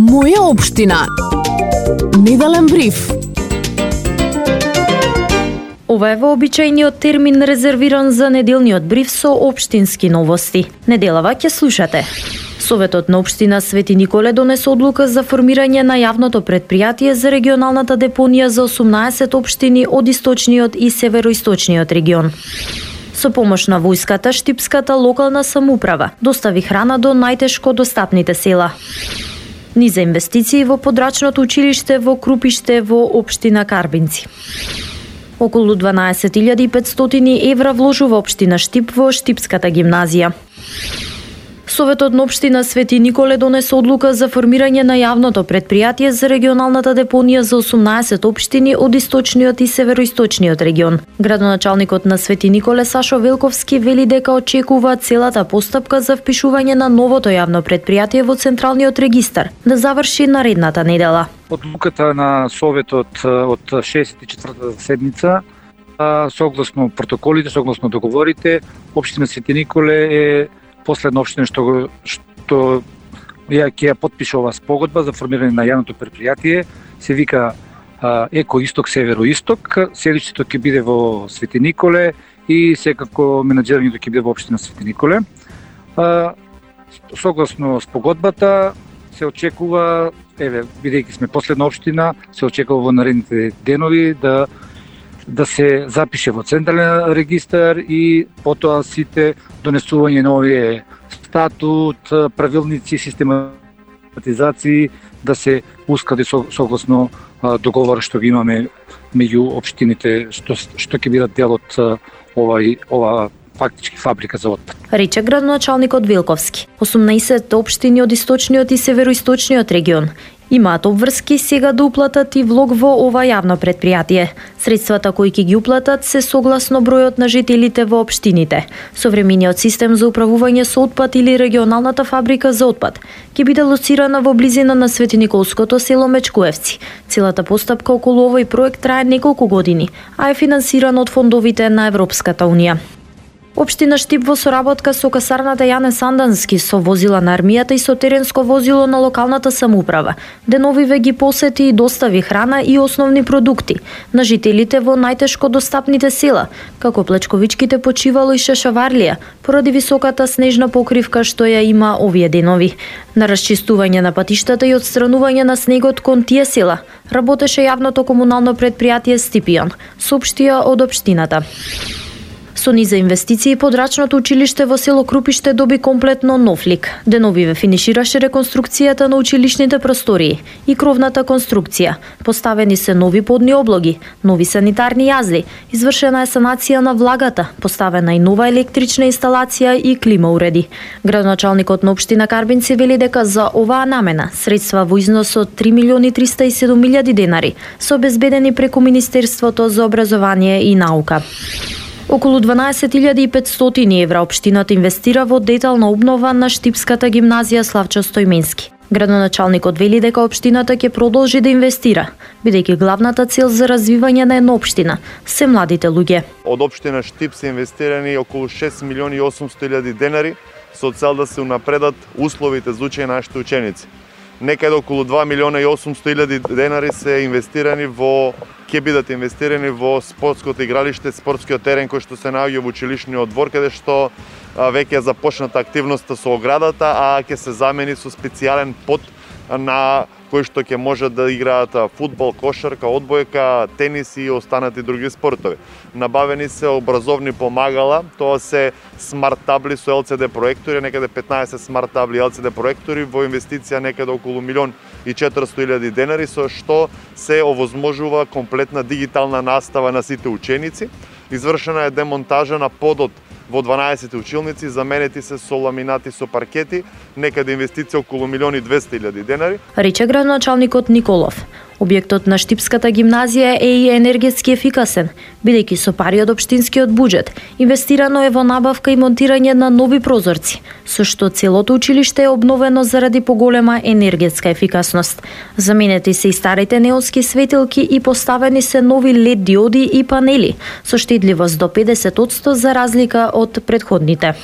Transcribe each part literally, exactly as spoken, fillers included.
Моја општина. Неделен бриф. Ова е вообичајниот термин резервиран за неделниот бриф со општински новости. Неделава ќе слушате. Советот на општина Свети Николе донесе одлука за формирање на јавното предпријатие за регионалната депонија за осумнаесет општини од источниот и североисточниот регион. Со помош на војската, штипската локална самоуправа достави храна до најтешко достапните села. Ни за инвестиции во подрачното училиште во Крупиште во општина Карбинци. Околу дванаесет илјади и петстотини евра вложува општина Штип во Штипската гимназија. Советот на општина Свети Николе донесе одлука за формирање на јавното предпријатие за регионалната депонија за осумнаесет општини од источниот и североисточниот регион. Градоначалникот на Свети Николе Сашо Велковски вели дека очекува целата постапка за впишување на новото јавно предпријатие во Централниот регистар да заврши наредната недела. Одлуката на Советот од шестдесет и четвртата седница, согласно протоколите, согласно договорите, општина Свети Николе е последна општина што што ја ќе ја подпише ова спогодба за формирање на јавното предпријатие, се вика Еко Исток Северо-Исток. Седиште ќе биде во Свети Николе и секако менаџирањето ќе биде во општина Свети Николе. Согласно спогодбата се очекува, еве, бидејќи сме последна општина, се очекува во наредните денови да да се запише во Централен регистар и потоа сите донесување на овие статут, правилници, систематизации да се усклади согласно договор што ги имаме меѓу општините што што ќе бидат дел од овај ова фактички фабрика за отпад. Рече градоначалникот Велковски. осумнаесет општини од источниот и североисточниот регион имаат обврски сега да уплатат и влог во ова јавно предпријатие. Средствата кои ќе ги уплатат се согласно бројот на жителите во општините. Современиот систем за управување со отпад или регионалната фабрика за отпад ќе биде лоцирана во близина на Светиниколското село Мечкуевци. Целата постапка околу овој проект трае неколку години, а е финансиран од фондовите на Европската унија. Општина Штип во соработка со касарната Јане Сандански, со возила на армијата и со теренско возило на локалната самоуправа, деновиве ги посети и достави храна и основни продукти на жителите во најтешко достапните села, како Плечковичките, Почивало и Шашаварлија, поради високата снежна покривка што ја има овие денови. На расчистување на патиштата и отстранување на снегот кон тие села работеше јавното комунално предпријатие Стипион, соопштија од општината. Со ни за инвестиции, подрачното училиште во село Крупиште доби комплетно нов лик. Деновиве финишираше реконструкцијата на училишните простории и кровната конструкција. Поставени се нови подни облоги, нови санитарни јазди, извршена е санација на влагата, поставена и нова електрична инсталација и клима уреди. Градоначалникот на општина Карбинци вели дека за оваа намена средства во износ од три милиони триста и седум илјади денари се обезбедени преку Министерството за образование и наука. Околу дванаесет илјади и петстотини евра општината инвестира во детална обнова на Штипската гимназија Славчо Стојменски. Градоначалникот вели дека општината ќе продолжи да инвестира, бидејќи главната цел за развивање на една општина се младите луѓе. Од општина Штип се инвестирани околу шест милиони и осумстотини илјади денари со цел да се унапредат условите за учење на нашите ученици. Некаде околу два милиона и осумстотини илјади денари се инвестирани во ќе бидат инвестирани во спортското игралиште, спортскиот терен кој што се наоѓа во училишниот двор, каде што веќе е започната активноста со оградата, а ќе се замени со специјален под на кој што ќе може да играат фудбал, кошарка, одбојка, тенис и останати други спортови. Набавени се образовни помагала, тоа се смарт табли со ел це де проектори, некаде петнаесет смарт табли ел це де проектори во инвестиција некаде околу милион и четиристотини илјади денари, со што се овозможува комплетна дигитална настава на сите ученици. Извршена е демонтажа на подот во дванаесет училници, заменети се со ламинати со паркети, некаде инвестиција околу милион и двесте илјади денари. Рече градоначалникот Николов. Објектот на Штипската гимназија е и енергетски ефикасен, бидејќи со пари од општинскиот буџет инвестирано е во набавка и монтирање на нови прозорци, со што целото училиште е обновено заради поголема енергетска ефикасност. Заменети се и старите неонски светилки и поставени се нови лед диоди и панели со штедливост до педесет одсто за разлика од претходните.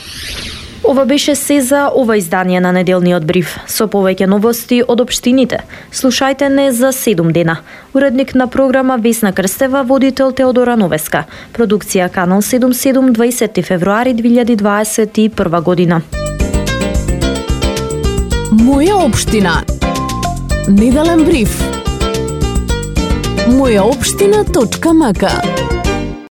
Ова беше се за ова издание на неделниот бриф. Со повеќе новости од општините. Слушајте не за седум дена. Уредник на програма Весна Крстева, водител Теодора Новеска. Продукција Канал седум седум, дваесети февруари две илјади дваесет и прва година. Моја општина. Неделен бриф. моја општина точка м к